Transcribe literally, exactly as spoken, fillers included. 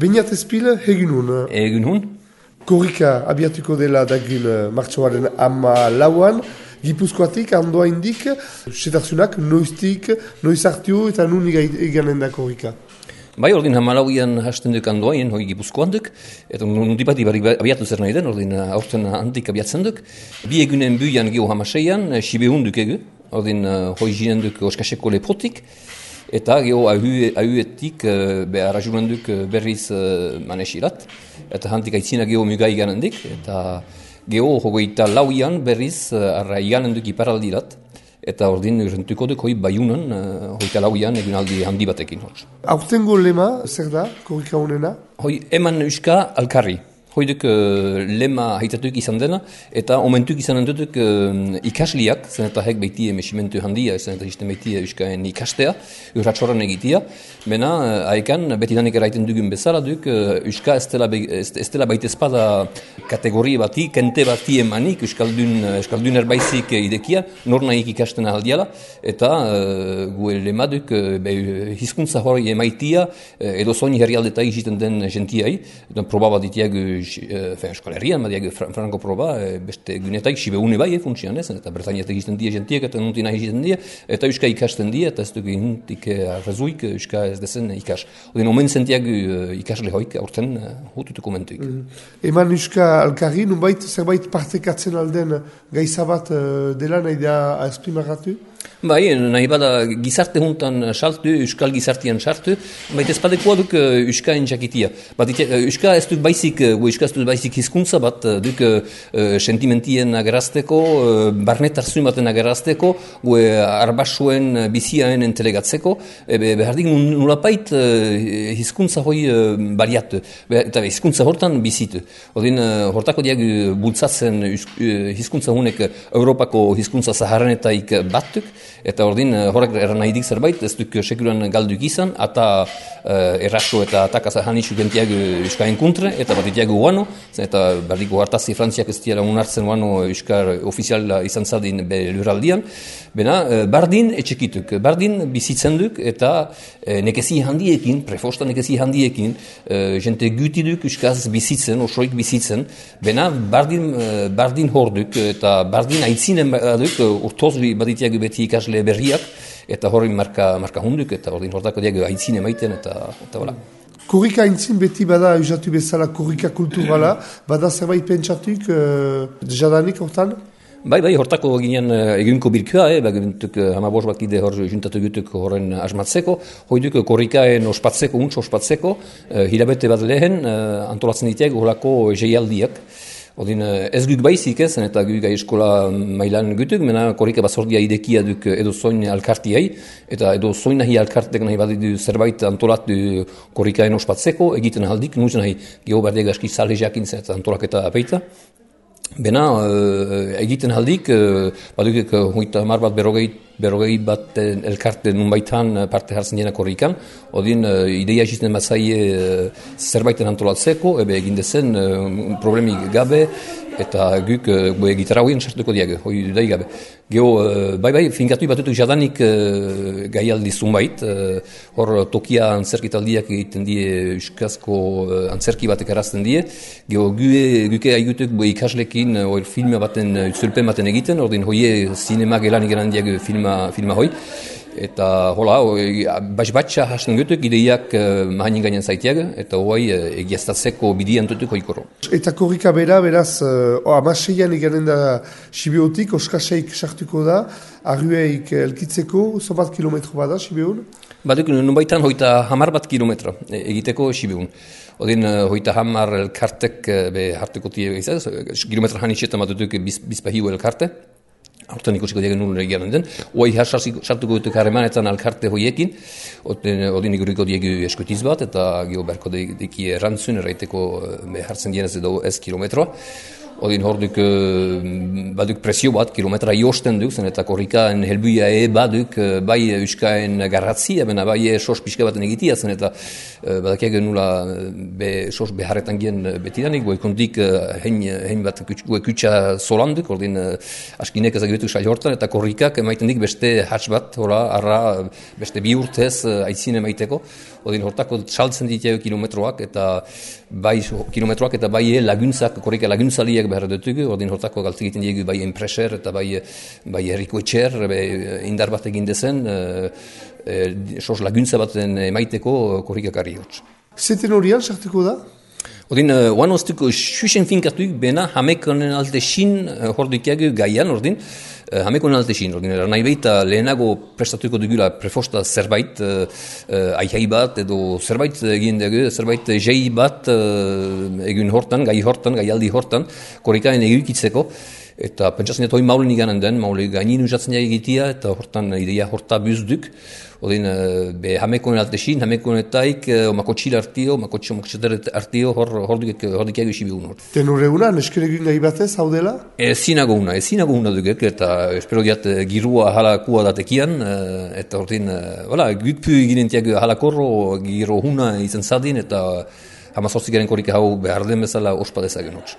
Beñat Espil, egin hun. Egin hun. Korrika abiatuko dela dagril martxoaren ama lauan, Gipuzkoatik, andoa indik, setarzunak, noiztik, noiz hartio eta nun eganen da korrika. Bai, ordin hamalauian hasten duk andoain, hoi Gipuzkoan duk, eta nundipat ibar abiatu zer nahi den, ordin aurten handik abiatzen duk. Bi egunen buian geho hamaseian, Sibeun duk egu, ordin hoi jinen duk oskaseko lepotik, eta geho ahuetik arrajunen duk berriz manesirat, eta handik aitzina geho muga iganen dik, eta geho hogeita lauian berriz arra iganen duk iparaldirat, eta ordin rentuko duk hoi baiunan, hogeita lauian egunaldi handi batekin. Aurtengo lema, zer da, korrika honena? Hoi eman euska alkarri. Hoi duk uh, lema haitatuk izan dena, eta omentuk izan duk uh, ikasliak, zen eta hek behitie mesimentu handia, zen eta izten behitie euskaen ikastea, urratxoran egitia. Bena, uh, haekan, beti danik eraiten dugun bezala duk, uh, euska ez dela, ez dela baitezpada kategoria bati, kente bati emanik, euskaldun, euskaldun erbaizik idekia, nor nahik ikasten aldiala, eta uh, gue lema duk, uh, be, hizkuntza hori emaitia, uh, edo zoin herrialdeta egiten den gentiai, proba bat itiak Euskal Herrian, badiak franko proba, beste günetaik Sibeune bai, funtsian ez, eta Bretañat egiten die gentiek, eta nuntina egiten die, eta Euska ikasten die, eta ez dugu intik arrazuik Euska ez dezen ikas. Odin, omen zentiak ikasle hoik, aurten hututuko mentuik. Mm. Eman Euska alkarri, nunbait zerbait partekatzen alden gaizabat dela nahi da esprimarratu? Bai, nahi bada gizarte juntan saltu, euskal gizartian saltu, baita ezpadekoa duk euskaen jakitia. Bat euska ez duk baizik, euska ez duk baizik hizkuntza bat duk uh, sentimentien agerazteko, uh, barnetarzun baten agerazteko, gue arbasuen biziaen entelegatzeko, ebe behardik nulapait uh, hizkuntza hoi uh, bariatu, eta hizkuntza hortan bizitu. Odin, uh, hortako diag bultzatzen uh, hizkuntza hunek Europako hizkuntza zaharrenetaik batuk, eta ordin horrek erran nahi dik zerbait, ez duk sekuran galduk izan, eta uh, erraso eta atakaz hanitxu gentiak euskaen kontre, eta bat itiak guano, eta berdiko hartazi frantziak ez diara unartzen guano euskar ofiziala izan zadin be lurraldian, bena uh, bardin etxekituk, bardin bizitzen duk, eta uh, nekezi handiekin, prefosta nekezi handiekin, uh, jente gutiduk euskaz bizitzen, osoik bizitzen, bena bardin, uh, bardin horduk, eta bardin aitzinen baduk, uh, urtoz bat itiak beti ikasle berriak, eta horri marka, marka hunduk, eta ordin hortako diag aintzin emaiten, eta eta hola. Korrika aintzin beti bada, eusatu bezala korrika kulturala, bada zerbait pentsatuk, uh, jadanik hortan? Bai, bai, hortako ginen uh, egunko birkua, eh, bagintuk uh, hamabos bat ide hor juntatu gutuk horren asmatzeko, hoiduk korrikaen ospatzeko, untz ospatzeko, uh, hilabete bat lehen, uh, antolatzen diteak horako jeialdiak. Odin, ez guk baizik ez, eta guk eskola mailan gutuk, mena korrika bazordia idekia duk edo zoin alkartiai, eta edo zoin nahi alkartek nahi badidu zerbait antolatu korrikaen ospatzeko, egiten aldik, nuz nahi geho berdeg aski salhe jakin zen eta antolaketa apeita. Bena, uh, egiten aldik, uh, badukek uh, hoita mar bat berrogei, berrogei bat elkarte nunbaitan parte hartzen dena korrikan, odin uh, ideia egiten bat zaie uh, zerbaiten antolatzeko, ebe egin dezen uh, problemik gabe, eta guk uh, gitarra hoien sartuko diag, hoi dudai gabe. Geho, uh, bai bai, finkatu batutuk jadanik uh, gaialdi zunbait, uh, hor tokia antzerkitaldiak egiten die euskazko uh, antzerki batek erazten die, geho, gue, guke aigutuk ikaslekin uh, filma baten, uh, zulpen baten egiten, ordin hoie sinema gelan egeran diag filma, filma hoi, eta hola, batx-batxa hasten gutuk, ideiak uh, mahanin gainen zaitiag, eta hoai uh, egiaztatzeko bidian tutuk hoikoro. Eta korrika bera, beraz, uh, amaseian eganen da Sibiotik, oskaseik sartuko da, arrueik elkitzeko, zobat kilometro bada Sibion? Baduk, nubaitan hoita hamar bat kilometro egiteko Sibion. Odin, hoita hamar elkartek be hartuko tie gizaz, kilometro hanitxetan batutuk biz, bizpahiu elkarte. Hortan ikusiko diagen nuen egiaren den. Oai sartuko dutuk harremanetan alkarte hoiekin, odin iguriko diegu eskutiz bat, eta geho berko deki errantzun, erraiteko hartzen dienez edo ez kilometroa. Odin hor duk, baduk presio bat, kilometra josten duk, zen eta korrikaen helbuia e baduk, bai euskaen garratzia, bena bai sos pixka baten egitia, zen eta badakiak nula be, sos beharretan gien betidanik, bai kontik hein, hein bat kutsa zolanduk, ordin askinek ezagibetu sail hortan, eta korrikak emaiten dik beste hatz bat, hola, arra, beste bi urtez aitzin emaiteko, odin hortako saltzen ditu kilometroak eta bai kilometroak eta bai laguntzak, korrika laguntzaliek behar dutugu, odin hortako galtzik egiten diegu bai enpreser eta bai, bai herriko etxer, indar bat egin dezen, e, e, sos laguntza baten emaiteko korrikakarri hotz. Zeten horian sartuko da? Odin, uh, oan oztuko xuxen finkatuik bena hamekonen alte xin uh, hordukiagu gaian, ordin, uh, hamekonen alte xin, ordin, nahi behita lehenago prestatuko dugula prefosta zerbait, uh, uh, aihai bat, edo zerbait egin dugu, zerbait jei bat uh, egun hortan, gai hortan, gai aldi hortan, korrikaen egukitzeko, eta pentsatzen dut hoi maulen iganen den, maule gainin usatzen egitea, eta hortan ideia horta buzduk. Odin, be hamekonen alte xin, hamekonetaik, omako txil artio, omako txil artio, hor duk egu isi bigun hor. Tenore una, neskeregin gai batez, hau dela? Ezinago una, ezinago una dugek, eta espero diat girua halakua datekian, eta ordin, wala, gutpu eginentiak halakorro, giro huna izan zadin, eta hamazortzikaren korrika hau behar den bezala ospa dezagen hor.